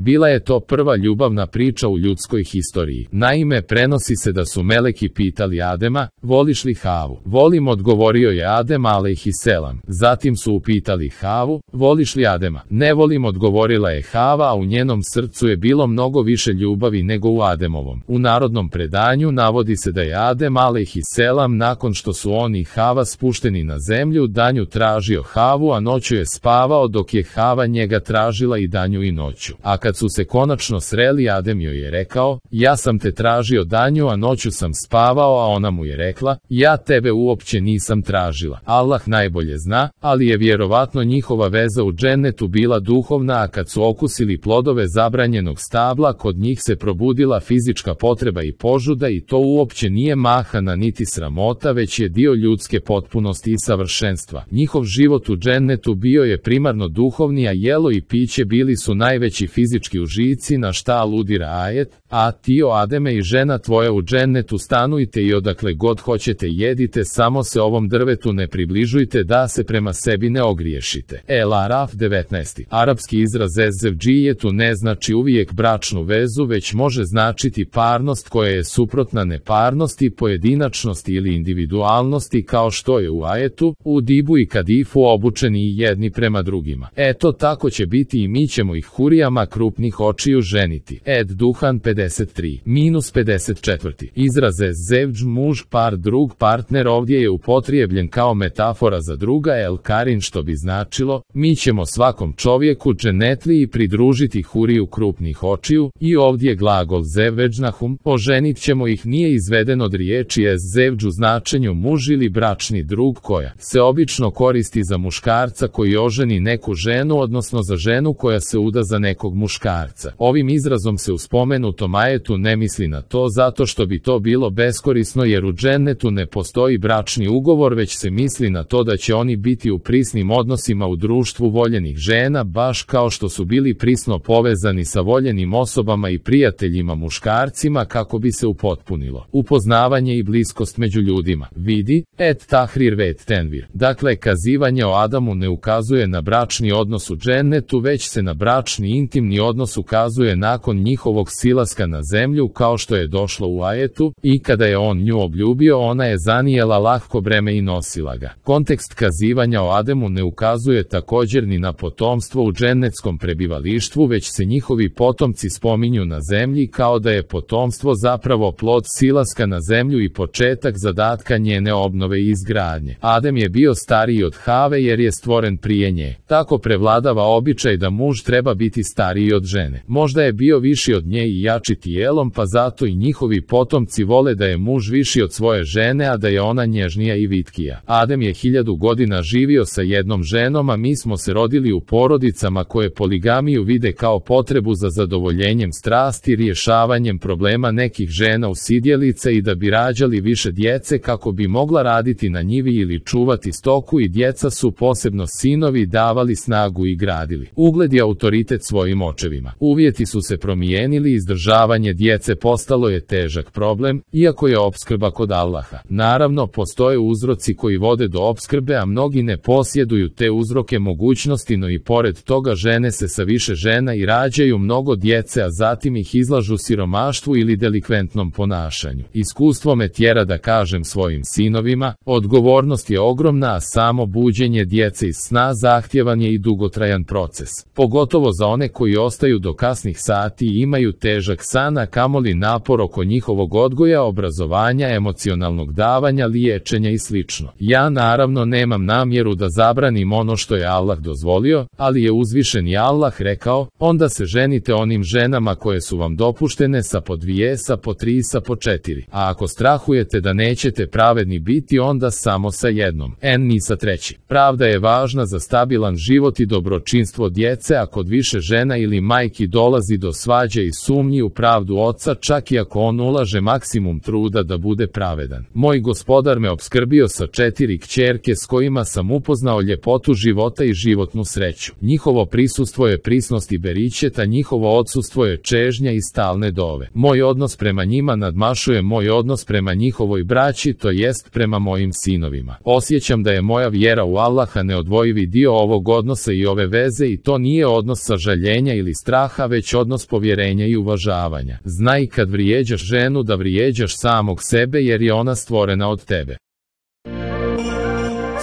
Bila je to prva ljubavna priča u ljudskoj historiji. Naime, prenosi se da su meleki pitali Adema, voliš li Havu? Volim, odgovorio je Adem alejhiselam. Zatim su upitali Havu, voliš li Adema? Ne volim, odgovorila je Hava, a u njenom srcu je bilo mnogo više ljubavi nego u Ademovom. U narodnom predanju navodi se da je Adem alejhiselam nakon što su on i Hava spušteni na zemlju, danju tražio Havu, a noću je spavao, dok je Hava njega tražila i danju i noću. A kad su se konačno sreli, Adem joj je rekao, ja sam te tražio danju, a noću sam spavao, a ona mu je rekla, ja tebe uopće nisam tražila. Allah najbolje zna, ali je vjerovatno njihova veza u džennetu bila duhovna, a kad su okusili plodove zabranjenog stabla, kod njih se probudila fizička potreba i požuda, i to uopće nije mahana niti sramota, već je dio ljudske potpunosti i savršenstva. Njihov život u džennetu bio je primarno duhovni, a jelo i piće bili su najveći fizički užici, na šta aludira ajet, a ti, o Ademe, i žena tvoja u džennetu stanujte i odakle god hoćete jedite, samo se ovom drvetu ne približujte da se prema sebi ne ogriješite. El Araf 19. Arapski izraz ezzevdžijetu ne znači uvijek bračnu vezu, već može značiti parnost koja je suprotna neparnosti, pojedinačnosti ili individualnosti, kao što je u ajetu, u dibu i kadifu obučeni jedni prema drugima. Eto tako će biti i mi ćemo ih hurijama krupnih očiju ženiti. Ed Duhan 53-54. Izraz ezzevdž, muž, par, drug, partner, ovdje je upotrijebljen kao metafora za druga el karin, što bi značilo, mi ćemo svakom čovjeku dženetli i pridružiti huriju krupnih očiju, i ovdje glagol zevveđnahum, oženit ćemo ih, nije izveden od riječi ezzevdž u značenju muž ili bračni drug, koja se obično koristi za muškarca koji oženi neku ženu, odnosno za ženu koja se uda za nekog muškarca. Ovim izrazom se u spomenutom ajetu ne misli na to zato što bi to bilo beskorisno, jer u džennetu ne postoji bračni ugovor, već se misli na to da će oni biti u prisnim odnosima u društvu voljenih žena, baš kao što su bili prisno povezani sa voljenim osobama i prijateljima muškarcima, kako bi se upotpunilo upoznavanje i bliskost među ljudima. Vidi, et tahrir vet tenvir. Dakle, kazivanje o Adamu ne ukazuje na bračni odnos u džennetu, već se na bračni intimni odnos ukazuje nakon njihovog silaska na zemlju, kao što je došlo u ajetu, i kada je on nju obljubio, ona je zanijela lahko breme i nosila ga. Kontekst kazivanja o Ademu ne ukazuje također ni na potomstvo u džennetskom prebivalištvu, već se njihovi potomci spominju na zemlji, kao da je potomstvo zapravo plod silaska na zemlju i početak zadatka njene obnove i izgradnje. Adem je bio stariji od Have jer je stvoren prije nje. Tako prevladava običaj da muž treba biti stariji od žene. Možda je bio viši od nje i jači tijelom, pa zato i njihovi potomci vole da je muž viši od svoje žene, a da je ona nježnija i vitkija. Adem je 1000 godina živio sa jednom ženom, a mi smo se rodili u porodicama koje poligamiju vide kao potrebu za zadovoljenjem strasti, rješavanjem problema nekih žena usidjelica i da bi rađali više djece kako bi mogla raditi na njivi ili čuvati stoku, i djeca su, posebno sinovi, davali snagu i gradili ugled i autoritet svojim očevima. Uvjeti su se promijenili, izdržavanje djece postalo je težak problem, iako je opskrba kod Allaha. Naravno, postoje uzroci koji vode do opskrbe, a mnogi ne posjeduju te uzroke mogućnosti, no i pored toga žene se sa više žena i rađaju mnogo djece, a zatim ih izlažu siromaštvu ili delikventnom ponašanju. Iskustvo me tjera da kažem svojim sinovima, odgovornost je ogromna, a samo buđenje djece iz sna zahtjevan je i dugotrajan proces. Pogotovo za one koji ostaju do kasnih sati i imaju težak san, a kamoli napor oko njihovog odgoja, obrazovanja, emocionalnog davanja, liječenja i sl. Ja naravno nemam namjeru da zabranim ono što je Allah dozvolio, ali je uzvišeni Allah rekao, onda se ženite onim ženama koje su vam dopuštene, sa po 2, sa po 3, sa po 4. A ako strahujete da nećete pravedni biti, onda samo sa jednom, ni sa 3. Pravda je važna za stabilan život i dobročinstvo djece, a kod više žena ili majki dolazi do svađe i sumnji u pravdu oca, čak i ako on ulaže maksimum truda da bude pravedan. Moj gospodar me opskrbio sa 4 kćerke s kojima sam upoznao ljepotu života i životnu sreću. Njihovo prisustvo je prisnost i beričet, a njihovo odsustvo je čežnja i stalne dove. Moj odnos prema njima nadmašuje moj odnos prema njihovoj braći, to jest prema mojim sinovima. Osjećam da je moja vjera u Allaha neodvojivi dio ovog odnosa i ove veze, i to nije odnos sažaljenja ili straha, već odnos povjerenja i uvažavanja. Znaj kad vrijeđaš ženu da vrijeđaš samog sebe jer je ona stvorena od tebe.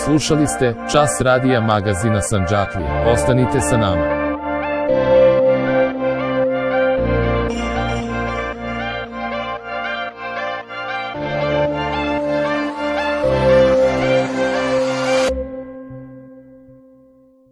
Slušali ste Čas radija magazina Sandžaklija. Ostanite sa nama.